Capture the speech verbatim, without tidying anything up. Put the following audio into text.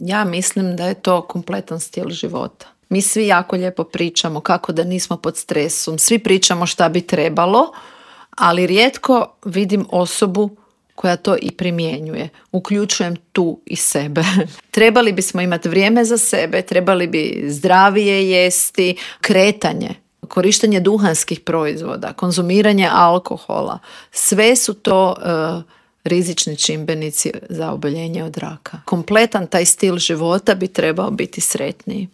Ja mislim da je to kompletan stil života. Mi svi jako lijepo pričamo kako da nismo pod stresom, svi pričamo šta bi trebalo, ali rijetko vidim osobu koja to i primjenjuje. Uključujem tu i sebe. Trebali bismo imati vrijeme za sebe, trebali bi zdravije jesti, kretanje, korištenje duhanskih proizvoda, konzumiranje alkohola. Sve su to uh, rizični čimbenici za oboljenje od raka. Kompletan taj stil života bi trebao biti sretniji.